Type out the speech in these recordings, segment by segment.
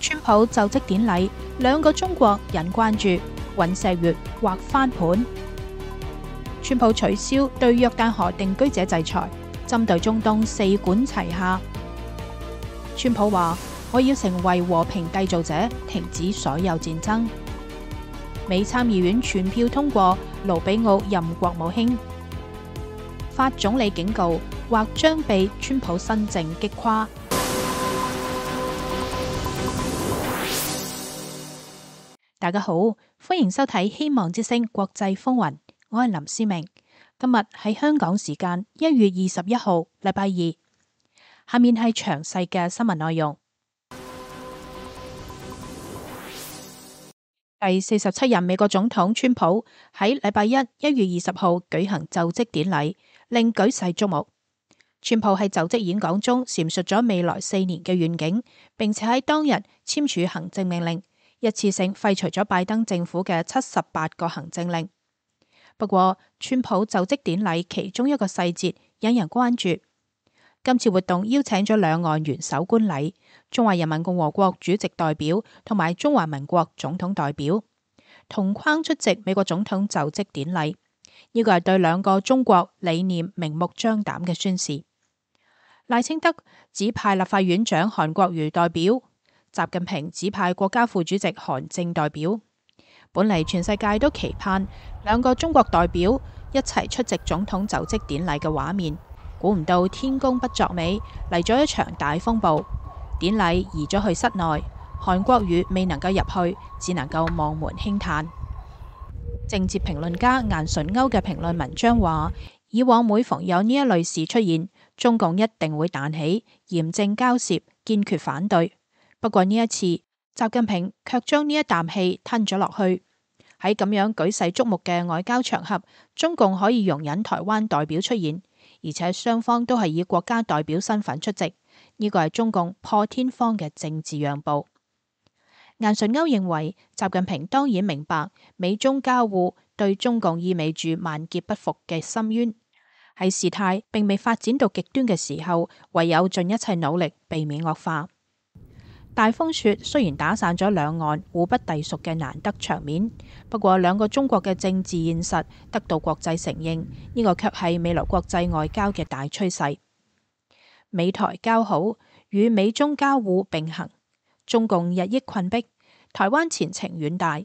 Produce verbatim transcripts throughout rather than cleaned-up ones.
川普就職典禮，兩個中國引關注，尹錫悅或翻盤。川普取消對約旦河定居者制裁，針對中東四管齊下。川普話：我要成為和平締造者，停止所有戰爭。美參議院全票通過盧比奧任國務卿。法總理警告，或將被川普新政擊垮。大家好，歡迎收睇《希望之聲》國際風雲，我係林思明。今日係香港時間一月二十一號，禮拜二。下面係詳細嘅新聞內容。第四十七任美國總統川普喺禮拜一一月二十號舉行就職典禮，令舉世矚目。川普喺就職演講中闡述咗未來四年嘅願景，並且喺當日簽署行政命令，一次性廢除咗拜登政府嘅七十八個行政令。不過，川普就職典禮其中一個細節引人關注。今次活動邀請咗兩岸元首觀禮，中華人民共和國主席代表同埋中華民國總統代表同框出席美國總統就職典禮。呢個係對兩個中國理念明目張膽嘅宣示。賴清德指派立法院長韓國瑜代表，習近平指派國家副主席韓正代表。本嚟全世界都期盼兩個中國代表一齊出席總統就職典禮嘅畫面，估唔到天公不作美，嚟咗一場大風暴。典禮移咗去室內，韓國瑜未能夠入去，只能夠望門輕嘆。政治評論家顏純鈎嘅評論文章話：以往每逢有呢一類事出現，中共一定會彈起，嚴正交涉，堅決反對。不過呢一次，習近平卻將呢一啖氣吞咗落去。喺咁樣舉世矚目嘅外交場合，中共可以容忍台灣代表出現，而且雙方都係以國家代表身份出席，呢個係中共破天荒嘅政治讓步。顏純鈎認為，習近平當然明白美中交惡對中共意味住萬劫不復嘅深淵，喺事態並未發展到極端嘅時候，唯有盡一切努力避免惡化。大風雪雖然打散咗兩岸互不隸屬嘅難得場面，不過兩個中國嘅政治現實得到國際承認，呢個卻係未來國際外交嘅大趨勢。美台交好與美中交惡並行，中共日益困迫，台灣前程遠大。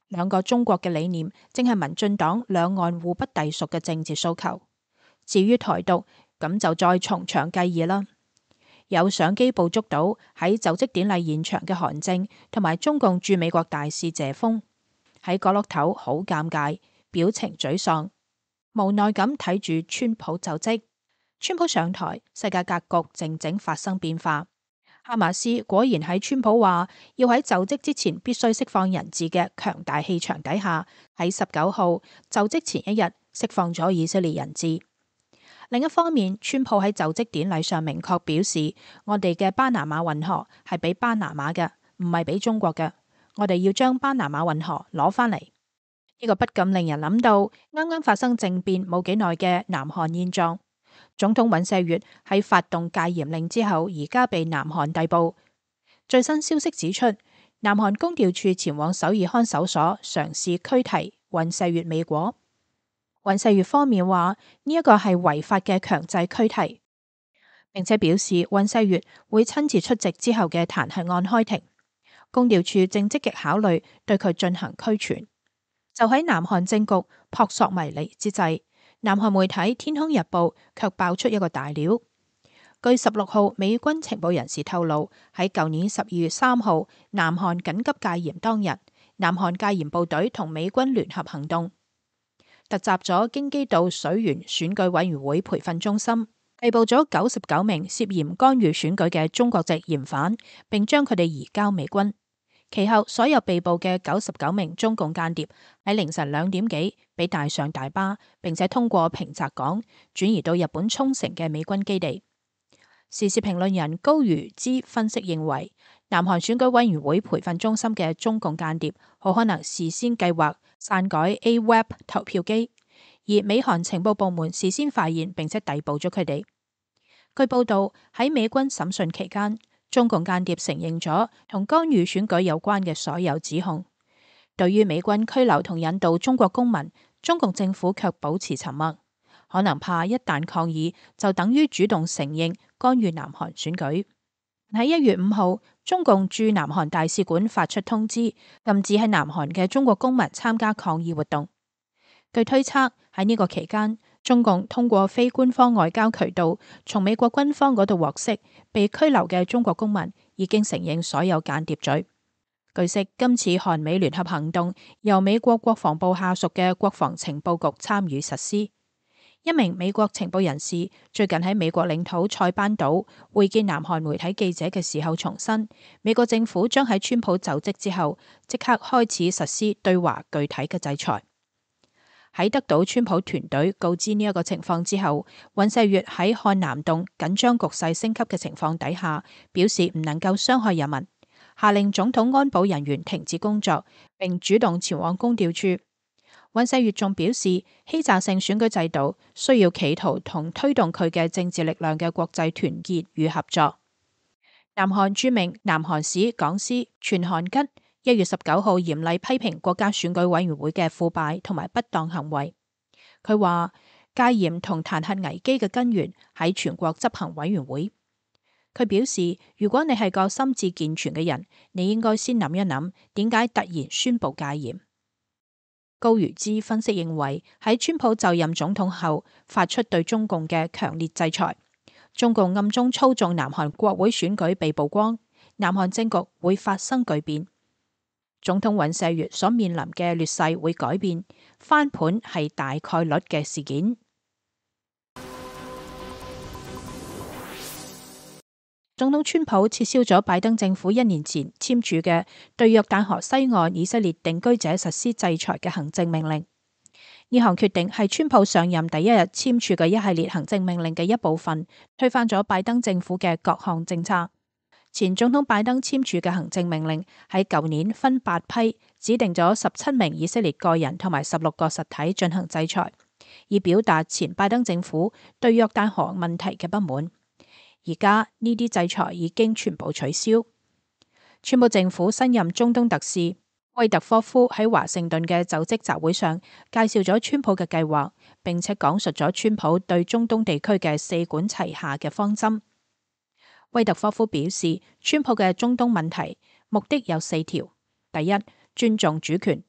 兩個中國嘅理念正係民進黨兩岸互不隸屬嘅政治訴求。至於台獨，咁就再從長計議啦。有相機捕捉到喺就職典禮現場嘅韓正同埋中共駐美國大使謝鋒喺角落頭好尷尬，表情沮喪，無奈咁睇住川普就職。川普上台，世界格局靜靜發生變化。哈馬斯果然喺川普話要喺就職之前必須釋放人質嘅強大氣場底下，喺十九號就職前一日釋放咗以色列人質。另一方面，川普喺就職典禮上明確表示，我哋嘅巴拿馬運河係俾巴拿馬嘅，唔係俾中國嘅。我哋要將巴拿馬運河攞返嚟。呢個不禁令人諗到啱啱發生政變冇幾耐嘅南韓現狀。總統尹錫悅喺發動戒嚴令之後，而家被南韓逮捕。最新消息指出，南韓公調處前往首爾看守所嘗試拘提尹錫悅未果。尹錫悅方面話呢一個係違法嘅強制拘提，並且表示尹錫悅會親自出席之後嘅彈劾案開庭。公調處正積極考慮對佢進行拘傳。就喺南韓政局撲朔迷離之際，南韓媒體《天空日報》卻爆出一個大料。據十六號美軍情報人士透露，喺舊年十二月三號南韓緊急戒嚴當日，南韓戒嚴部隊同美軍聯合行動，突襲咗京畿道水原選舉委員會培訓中心，逮捕咗九十九名涉嫌干預選舉嘅中國籍嫌犯，並將佢哋移交美軍。其後，所有被捕嘅九十九名中共間諜喺凌晨兩點幾被帶上大巴，並且通過平澤港轉移到日本沖繩嘅美軍基地。時事評論人高瑜之分析認為，南韓選舉委員會培訓中心嘅中共間諜好可能事先計劃篡改 A W E B 投票機，而美韓情報部門事先發現並且逮捕咗佢哋。據報道喺美軍審訊期間，中共間諜承認咗同干預選舉有關嘅所有指控。對於美軍拘留同引渡中國公民，中共政府卻保持沉默，可能怕一旦抗議就等於主動承認干預南韓選舉。喺一月五號，中共駐南韓大使館發出通知，禁止喺南韓嘅中國公民參加抗議活動。據推測，喺呢個期間，中共通過非官方外交渠道，從美國軍方嗰度獲悉，被拘留嘅中國公民已經承認所有間諜罪。據悉，今次韓美聯合行動由美國國防部下屬嘅國防情報局參與實施。一名美國情報人士最近喺美國領土塞班島會見南韓媒體記者嘅時候重申，美國政府將喺川普就職之後即刻開始實施對華具體嘅制裁。喺得到川普團隊告知呢一個情況之後，尹錫悅喺漢南洞緊張局勢升級嘅情況底下，表示唔能夠傷害人民，下令總統安保人員停止工作，並主動前往公調處。尹錫悅仲表示，欺詐性選舉制度需要企圖同推動佢嘅政治力量嘅國際團結與合作。南韓著名南韓史講師全韓吉一月十九號嚴厲批評國家選舉委員會嘅腐敗同埋不當行為。佢話戒嚴同彈劾危機嘅根源喺全國執行委員會。佢表示，如果你係個心智健全嘅人，你應該先諗一諗，點解突然宣布戒嚴。高如之分析認為，喺川普就任總統後發出對中共嘅強烈制裁，中共暗中操縱南韓國會選舉被曝光，南韓政局會發生巨變。總統尹錫悅所面臨嘅劣勢會改變，翻盤係大概率嘅事件。總統川普撤銷咗拜登政府一年前簽署嘅對約旦河西岸以色列定居者實施制裁嘅行政命令。呢項決定係川普上任第一日簽署嘅一系列行政命令嘅一部分，推翻咗拜登政府嘅各項政策。前總統拜登簽署嘅行政命令喺舊年分八批，指定咗十七名以色列個人同埋十六個實體進行制裁，以表達前拜登政府對約旦河問題嘅不滿。而家呢啲制裁已經全部取消。川普政府新任中東特使威特科夫喺華盛頓嘅就職集會上介紹咗川普嘅計劃，並且講述咗川普對中東地區嘅四管齊下嘅方針。威特科夫表示，川普嘅中東問題目的有四條：第一，尊重主權，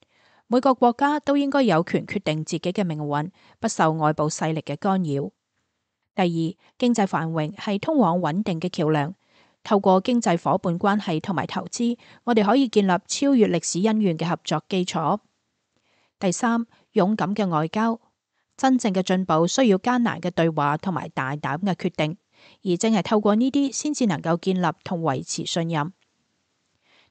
每個國家都應該有權決定自己嘅命運，不受外部勢力嘅干擾。第二，經濟繁榮係通往穩定嘅橋樑，透過經濟夥伴關係同埋投資，我哋可以建立超越歷史恩怨嘅合作基礎。第三，勇敢嘅外交，真正嘅進步需要艱難嘅對話同埋大膽嘅決定，而正係透過呢啲先至能夠建立同維持信任。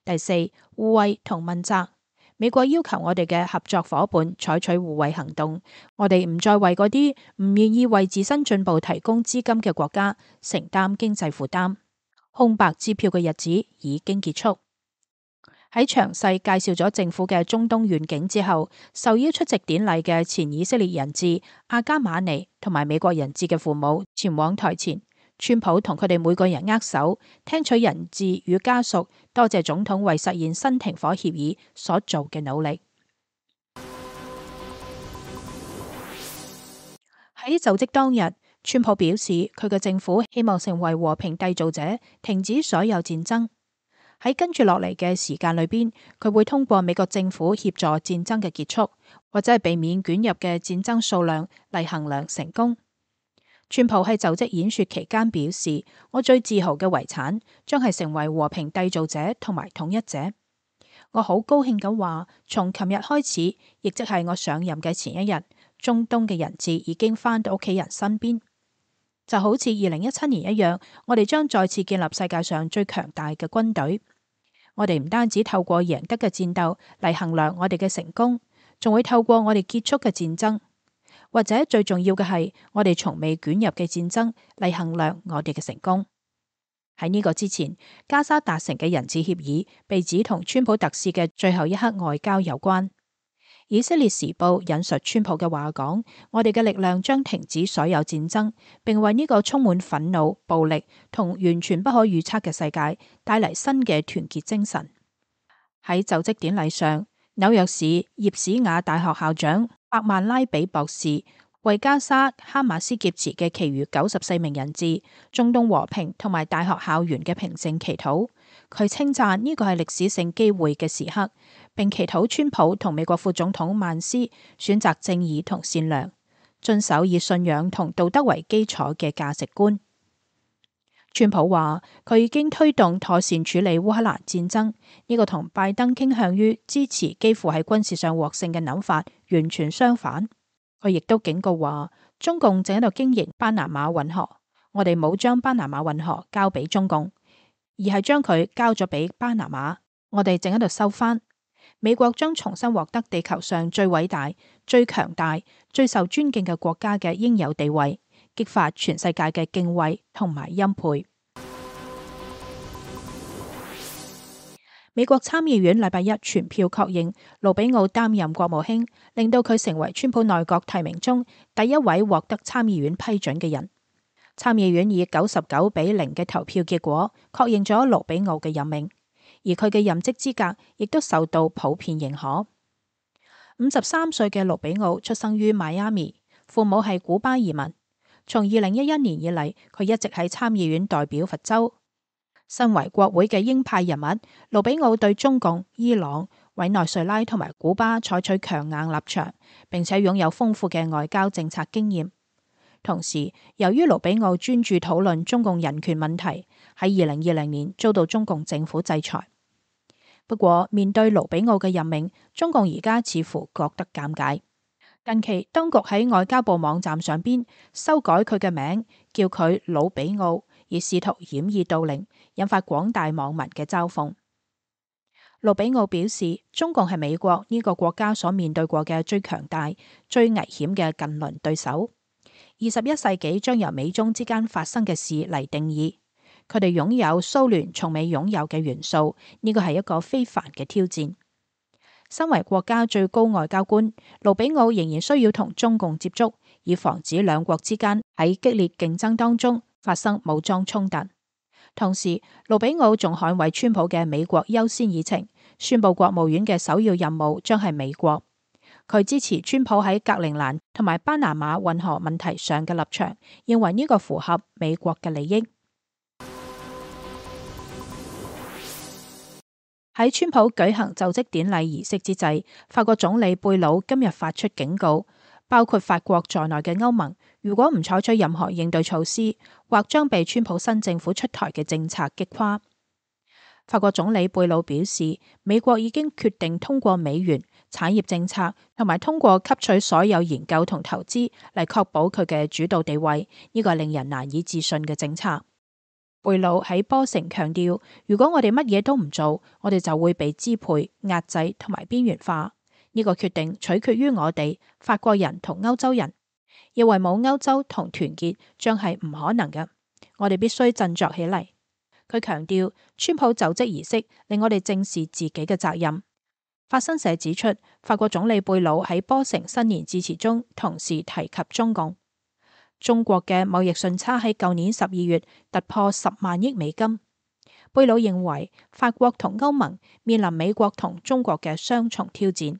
第四，互惠同問責。美國要求我哋嘅合作夥伴採取互惠行動，我哋唔再為嗰啲唔願意為自身進步提供資金嘅國家承擔經濟負擔。空白支票嘅日子已經結束。喺詳細介紹咗政府嘅中東願景之後，受邀出席典禮嘅前以色列人質阿加馬尼同埋美國人質嘅父母前往台前。川普同佢哋每個人握手，聽取人質與家屬多謝總統為實現新停火協議所做嘅努力。喺就職當日，川普表示佢嘅政府希望成為和平締造者，停止所有戰爭。喺跟住落嚟嘅時間裏邊，佢會通過美國政府協助戰爭嘅結束，或者係避免捲入嘅戰爭數量嚟衡量成功。川普喺就職演說期間表示，我最自豪嘅遺產將係成為和平締造者同埋統一者。我好高興咁話，從琴日開始，亦即係我上任嘅前一日，中東嘅人質已經返到屋企人身邊。就好似二零一七年一樣，我哋將再次建立世界上最強大嘅軍隊。我哋唔單止透過贏得嘅戰鬥嚟衡量我哋嘅成功，仲會透過我哋結束嘅戰爭。或者最重要嘅係，我哋從未捲入嘅戰爭嚟衡量我哋嘅成功。喺呢個之前，加沙達成嘅人質協議被指同川普特使嘅最後一刻外交有關。以色列時報引述川普嘅話講：我哋嘅力量將停止所有戰爭，並為呢個充滿憤怒、暴力同完全不可預測嘅世界帶嚟新嘅團結精神。喺就職典禮上，紐約市葉史亞大學校長伯曼拉比博士為加沙哈馬斯劫持嘅其餘九十四名人質、中東和平同埋大學校園嘅平靜祈禱。佢稱讚呢個係歷史性機會嘅時刻，並祈禱川普同美國副總統曼斯選擇正義同善良，遵守以信仰同道德為基礎嘅價值觀。川普話佢已經推動妥善處理烏克蘭戰爭，呢個同拜登傾向於支持幾乎喺軍事上獲勝嘅諗法完全相反。佢亦都警告話，中共正喺度經營巴拿馬運河，我哋冇將巴拿馬運河交俾中共，而係將佢交咗俾巴拿馬，我哋正喺度收翻。美國將重新獲得地球上最偉大、最強大、最受尊敬嘅國家嘅應有地位，激發全世界嘅敬畏同埋欽佩。美國參議院禮拜一全票確認盧比奧擔任國務卿，令到佢成為川普內閣提名中第一位獲得參議院批准嘅人。參議院以九十九比零嘅投票結果確認咗盧比奧嘅任命，而佢嘅任職資格亦都受到普遍認可。五十三歲嘅盧比奧出生於邁阿密，父母係古巴移民。從二零一一年以嚟，佢一直喺參議院代表佛州。身為國會嘅鷹派人物，盧比奧對中共、伊朗、委內瑞拉同埋古巴採取強硬立場，並且擁有豐富嘅外交政策經驗。同時，由於盧比奧專注討論中共人權問題，喺二零二零年遭到中共政府制裁。不過，面對盧比奧嘅任命，中共而家似乎覺得尷尬。近期，當局喺外交部網站上邊修改佢嘅名，叫佢魯比奧，以試圖掩耳盜鈴，引發廣大網民嘅嘲諷。魯比奧表示，中共係美國呢個國家所面對過嘅最強大、最危險嘅近鄰對手。二十一世紀將由美中之間發生嘅事嚟定義，佢哋擁有蘇聯從未擁有嘅元素，呢個係一個非凡嘅挑戰。身為國家最高外交官，盧比奧仍然需要同中共接觸，以防止兩國之間喺激烈競爭當中發生武裝衝突。同時，盧比奧仲捍衛川普嘅美國優先議程，宣布國務院嘅首要任務將係美國。佢支持川普喺格陵蘭同埋巴拿馬運河問題上嘅立場，認為呢個符合美國嘅利益。喺川普舉行就職典禮儀式之際，法國總理貝魯今日發出警告，包括法國在內嘅歐盟，如果唔採取任何應對措施，或將被川普新政府出台嘅政策擊垮。法國總理貝魯表示，美國已經決定通過美元、產業政策同埋通過吸取所有研究同投資嚟確保佢嘅主導地位，呢個係令人難以置信嘅政策。貝魯喺波城強調，如果我哋乜嘢都唔做，我哋就會被支配、壓制同埋邊緣化。呢個決定取決於我哋法國人同歐洲人，認為冇歐洲同團結將係唔可能嘅。我哋必須振作起嚟。佢強調，川普就職儀式令我哋正視自己嘅責任。法新社指出，法國總理貝魯喺波城新年致辭中同時提及中共。中國嘅貿易順差喺舊年十二月突破十萬億美金。貝魯認為法國同歐盟面臨美國同中國嘅雙重挑戰。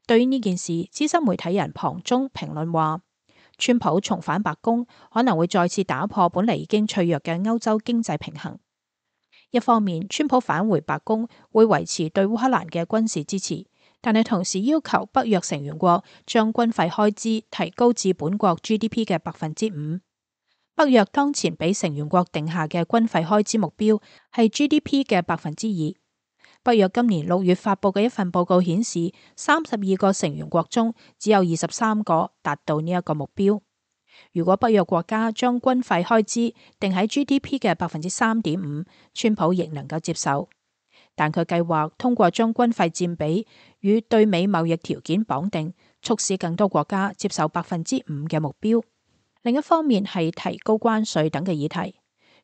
對於呢件事，資深媒體人龐中評論話，川普重返白宮可能會再次打破本嚟已經脆弱嘅歐洲經濟平衡。一方面，川普返回白宮會維持對烏克蘭嘅軍事支持，但係同時要求北約成員國將軍費開支提高至本國 G D P 嘅百分之五。北約當前俾成員國定下嘅軍費開支目標係 G D P 嘅百分之二。北約今年六月發布嘅一份報告顯示，三十二個成員國中只有二十三個達到呢一個目標。如果北約國家將軍費開支定喺 G D P 嘅百分之三點五，川普亦能夠接受。但佢計劃通過將軍費佔比與對美貿易條件綁定，促使更多國家接受百分之五嘅目標。另一方面係提高關稅等嘅議題，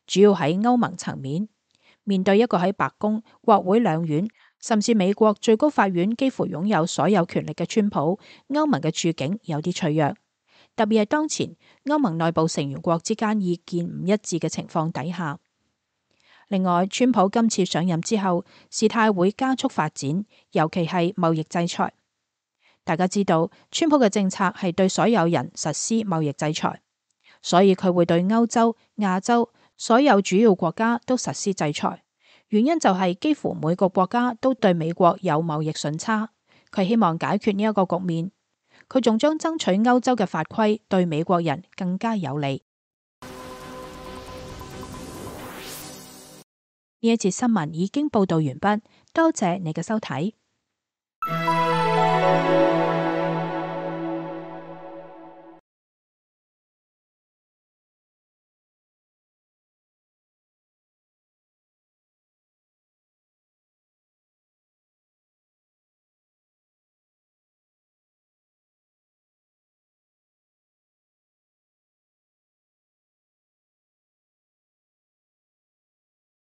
主要喺歐盟層面。面對一個喺白宮、國會兩院，甚至美國最高法院幾乎擁有所有權力嘅川普，歐盟嘅處境有啲脆弱。特別係當前歐盟內部成員國之間意見唔一致嘅情況底下。另外，川普今次上任之後，事態會加速發展，尤其係貿易制裁。大家知道，川普嘅政策係對所有人實施貿易制裁，所以佢會對歐洲、亞洲所有主要國家都實施制裁。原因就係幾乎每個國家都對美國有貿易順差，佢希望解決呢一個局面。佢仲將爭取歐洲嘅法規對美國人更加有利。呢一節新聞已經報道完畢，多謝你嘅收睇。